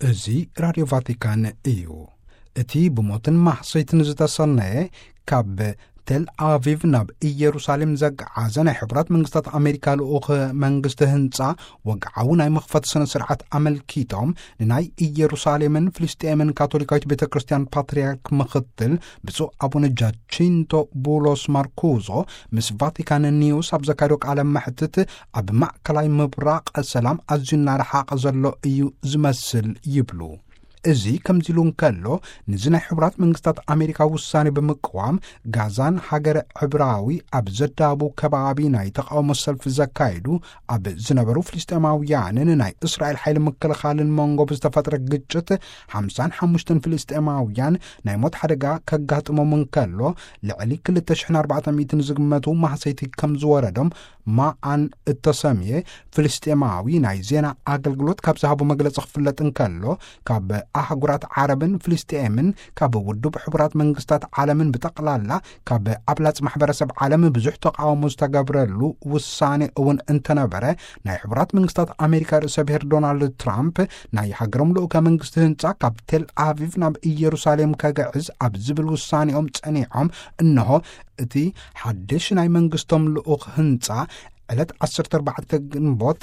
እዚ ራድዮ ቫቲካን እዩ። እቲ ብሞትን ማህሰይትን ዝተሰነየ ካብ ቴል ኣቪቭ ናብ ኢየሩሳሌም ዘገዓዘ ናይ ሕቡራት መንግስታት ኣሜሪካ ልኡኽ መንግስቲ ህንጻ ወግዓዊ ናይ መኽፈቲ ስነ ስርዓት ኣመልኪቶም ንናይ ኢየሩሳሌምን ፍልስጤምን ካቶሊካዊት ቤተ ክርስቲያን ፓትርያርክ ምኽትል ብፁዕ ኣቡነ ጃቺንቶ ቡሎስ ማርኩዞ ምስ ቫቲካን ኒውስ ኣብ ዘካየዶ ቃለ መሕትት ኣብ ማእከላይ ምብራቕ ሰላም ኣዝዩ እናረሓቐ ዘሎ እዩ ዝመስል ይብሉ። እዚ ከምዚ ኢሉ እንከሎ፣ ንዚ ናይ ሕቡራት መንግስታት ኣሜሪካ ውሳኔ ብምቅዋም፣ ጋዛን ሃገረ ዕብራዊ ኣብ ዘዳቡ ከባቢ ናይ ተቃውሞ ሰልፊ ዘካየዱ ኣብ ዝነበሩ ፍልስጤማውያንን ናይ እስራኤል ሓይሊ ምክልኻልን መንጎ ብዝተፈጥረ ግጭት፣ ሓምሳን ሓሙሽተን ፍልስጤማውያን ናይ ሞት ሓደጋ ከጋጥሞም እንከሎ፣ ልዕሊ ክልተ ሽሕን ኣርባዕተ ሚእትን ዝግመቱ ማህሰይቲ ከም ዝወረዶም ማኣን እተሰምየ ፍልስጤማዊ ናይ ዜና ኣገልግሎት ካብ ዝሃቦ መግለጺ ክፍለጥ እንከሎ፣ ካብ ኣህጉራት ዓረብን ፍልስጤምን፣ ካብ ውድብ ሕቡራት መንግስታት ዓለምን ብጠቕላላ፣ ካብ ኣብላጽ ማሕበረሰብ ዓለም ብዙሕ ተቃውሞ ዝተገብረሉ ውሳኔ እውን እንተነበረ፣ ናይ ሕቡራት መንግስታት ኣሜሪካ ርእሰ ብሔር ዶናልድ ትራምፕ ናይ ሃገሮም ልኡከ መንግስቲ ህንጻ ካብ ቴል ኣቪቭ ናብ ኢየሩሳሌም ከግዕዝ ኣብ ዝብል ውሳኔኦም ጸኒዖም፣ እንሆ እቲ ሓድሽ ናይ መንግስቶም ልኡኽ ህንጻ ዕለት ዓሰርተ ኣርባዕተ ግንቦት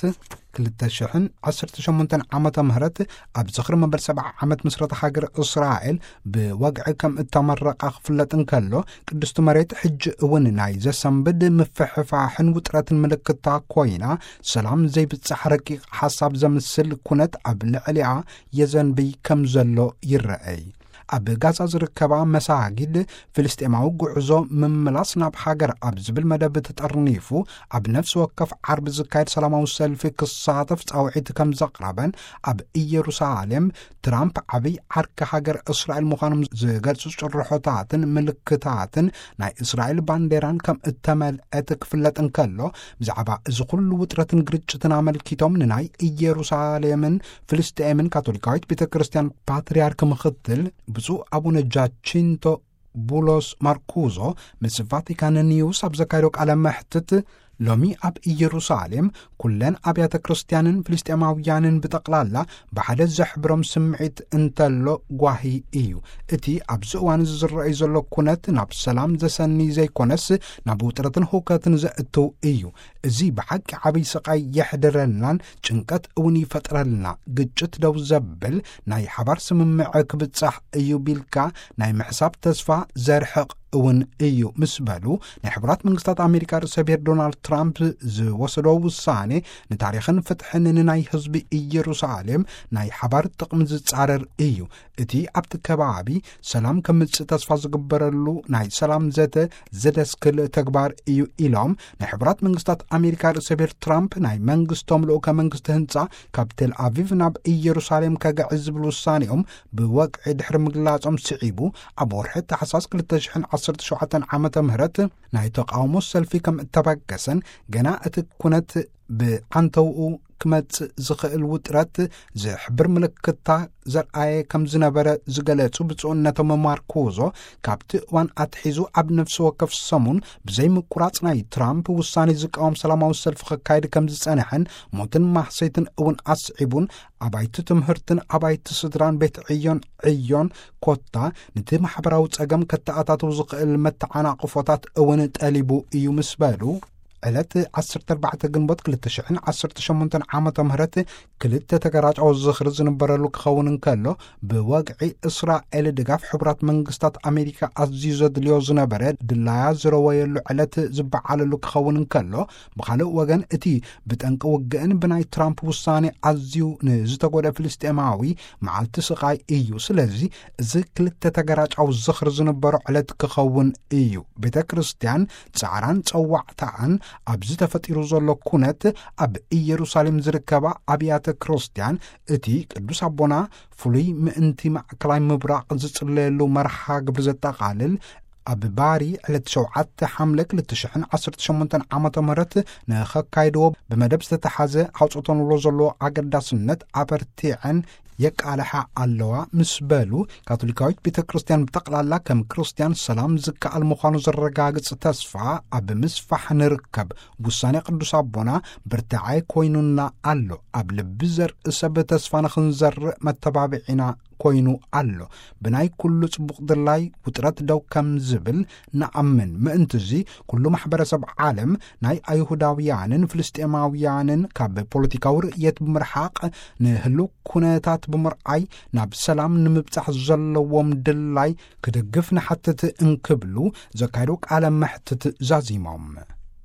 ክልተ ሽሕን ዓሰርተ ሸሞንተን ዓመተ ምህረት ኣብ ዝኽሪ መበል ሰብዓ ዓመት ምስረታ ሃገር እስራኤል ብወግዒ ከም እተመረቐ ክፍለጥ እንከሎ፣ ቅድስቲ መሬት ሕጂ እውን ናይ ዘሰንብድ ምፍሕፋሕን ውጥረትን ምልክታ ኮይና፣ ሰላም ዘይብጻሕ ረቂቕ ሓሳብ ዘምስል ኩነት ኣብ ልዕሊኣ የዘንብይ ከም ዘሎ ይረኣይ። ኣብ ጋዛ ዝርከባ መሳጊድ ፍልስጤማዊ ጉዕዞ ምምላስ ናብ ሃገር ኣብ ዝብል መደብ ተጠርኒፉ፣ ኣብ ነፍሲ ወከፍ ዓርቢ ዝካየድ ሰላማዊ ሰልፊ ክሳተፍ ጻውዒት ከም ዘቕረበን፣ ኣብ ኢየሩሳሌም ትራምፕ ዓብይ ዓርኪ ሃገር እስራኤል ምዃኖም ዝገልጹ ጭርሖታትን ምልክታትን ናይ እስራኤል ባንዴራን ከም እተመልአት ክፍለጥ እንከሎ፣ ብዛዕባ እዚ ኩሉ ውጥረትን ግርጭትን ኣመልኪቶም ንናይ ኢየሩሳሌምን ፍልስጤምን ካቶሊካዊት ቤተ ክርስቲያን ፓትርያርክ ምኽትል ብፁዕ ኣቡነ ጃቺንቶ ቡሎስ ማርኩዞ ምስ ቫቲካን ኒውስ ኣብ ዘካየዶ ቃለ መሕትት፣ ሎሚ ኣብ ኢየሩሳሌም ኩለን ኣብያተ ክርስቲያንን ፍልስጤማውያንን ብጠቕላላ ብሓደ ዘሕብሮም ስምዒት እንተሎ ጓሂ እዩ። እቲ ኣብዚ እዋን እዚ ዝረኣይ ዘሎ ኩነት ናብ ሰላም ዘሰኒ ዘይኮነስ ናብ ውጥረትን ህውከትን ዘእትው እዩ። እዚ ብሓቂ ዓብይ ስቓይ የሕድረልናን ጭንቀት እውን ይፈጥረልና። ግጭት ደው ዘብል ናይ ሓባር ስምምዕ ክብጻሕ እዩ ቢልካ ናይ ምሕሳብ ተስፋ ዘርሕቕ እውን እዩ ምስ በሉ፣ ናይ ሕቡራት መንግስታት ኣሜሪካ ርእሰ ብሔር ዶናልድ ትራምፕ ዝወሰዶ ውሳኔ ንታሪኽን ፍትሕን ንናይ ህዝቢ ኢየሩሳሌም ናይ ሓባር ጥቕሚ ዝጻረር እዩ። እቲ ኣብቲ ከባቢ ሰላም ከምጽእ ተስፋ ዝግበረሉ ናይ ሰላም ዘተ ዘደስክል ተግባር እዩ ኢሎም፣ ናይ ሕቡራት መንግስታት ኣሜሪካ ርእሰ ብሔር ትራምፕ ናይ መንግስቶም ልኡከ መንግስቲ ህንጻ ካብ ቴል ኣቪቭ ናብ ኢየሩሳሌም ከግዕዝ ዝብል ውሳኔኦም ብወግዒ ድሕሪ ምግላጾም ስዒቡ፣ ኣብ ወርሒ ታሕሳስ ክልተ ሽሕን ዓሰርተ ሸውዓተን ዓመተ ምህረት ናይ ተቃውሞ ሰልፊ ከም እተበገሰን፣ ገና እቲ ኩነት ብዓንተውኡ ክመጽእ ዝኽእል ውጥረት ዝሕብር ምልክታ ዘርኣየ ከም ዝነበረ ዝገለጹ ብፁዕነቶም ማርኩዞ፣ ካብቲ እዋን ኣትሒዙ ኣብ ነፍሲ ወከፍ ሰሙን ብዘይ ምቁራጽ ናይ ትራምፕ ውሳኔ ዝቃወም ሰላማዊ ሰልፊ ክካየድ ከም ዝጸንሐን፣ ሞትን ማህሰይትን እውን ኣስዒቡን፣ ኣባይቲ ትምህርትን ኣባይቲ ስድራን ቤት ዕዮን ዕዮን ኮታ ነቲ ማሕበራዊ ጸገም ከተኣታትው ዝኽእል መተዓናቕፎታት እውን ጠሊቡ እዩ ምስ በሉ፣ ዕለት ዓሰርተ ኣርባዕተ ግንቦት ክልተ ሽሕን ዓሰርተ ሸሞንተን ዓመተ ምህረት ክልተ ተገራጫዊ ዝኽሪ ዝንበረሉ ክኸውን እንከሎ፣ ብወግዒ እስራኤል ድጋፍ ሕቡራት መንግስታት ኣሜሪካ ኣዝዩ ዘድልዮ ዝነበረ ድላያ ዝረወየሉ ዕለት ዝበዓለሉ ክኸውን እንከሎ፣ ብኻልእ ወገን እቲ ብጠንቂ ውግእን ብናይ ትራምፕ ውሳኔ ኣዝዩ ንዝተጎደ ፍልስጤማዊ መዓልቲ ስቓይ እዩ። ስለዚ እዚ ክልተ ተገራጫዊ ዝኽሪ ዝንበሮ ዕለት ክኸውን እዩ። ቤተ ክርስቲያን ጻዕራን ጸዋዕታኣን ኣብዚ ተፈጢሩ ዘሎ ኩነት ኣብ ኢየሩሳሌም ዝርከባ ኣብያተ ክርስቲያን እቲ ቅዱስ ኣቦና ፍሉይ ምእንቲ ማእከላይ ምብራቕ ዝጽለየሉ መርሃ ግብሪ ዘጠቓልል ኣብ ባሪ ዕለት ሸውዓተ ሓምለ ክልተ ሽሕን ዓሰርተ ሸሞንተን ዓመተ ምህረት ንኸካይድዎ ብመደብ ዝተተሓዘ ኣውፅኦተንሎ ዘለዎ ኣገዳስነት ኣበርቲዐን የቃልሓ ኣለዋ ምስ በሉ፣ ካቶሊካዊት ቤተ ክርስቲያን ብጠቕላላ ከም ክርስቲያን ሰላም ዝከኣል ምዃኑ ዘረጋግጽ ተስፋ ኣብ ምስፋሕ ንርከብ። ውሳኔ ቅዱስ ኣቦና ብርታዐ ኮይኑና ኣሎ። ኣብ ልቢ ዘርኢ ሰብ ተስፋ ንኽንዘርእ መተባብዒና ኮይኑ ኣሎ። ብናይ ኩሉ ጽቡቕ ድላይ ውጥረት ደው ከም ዝብል ንኣምን። ምእንትዚ ኩሉ ማሕበረሰብ ዓለም ናይ ኣይሁዳውያንን ፍልስጤማውያንን ካብ ፖለቲካዊ ርእየት ብምርሓቕ፣ ንህልው ኩነታት ብምርኣይ ናብ ሰላም ንምብጻሕ ዘለዎም ድላይ ክድግፍ ንሓትት እንክብሉ ዘካየዶ ቃለ መሕትት ዛዚሞም።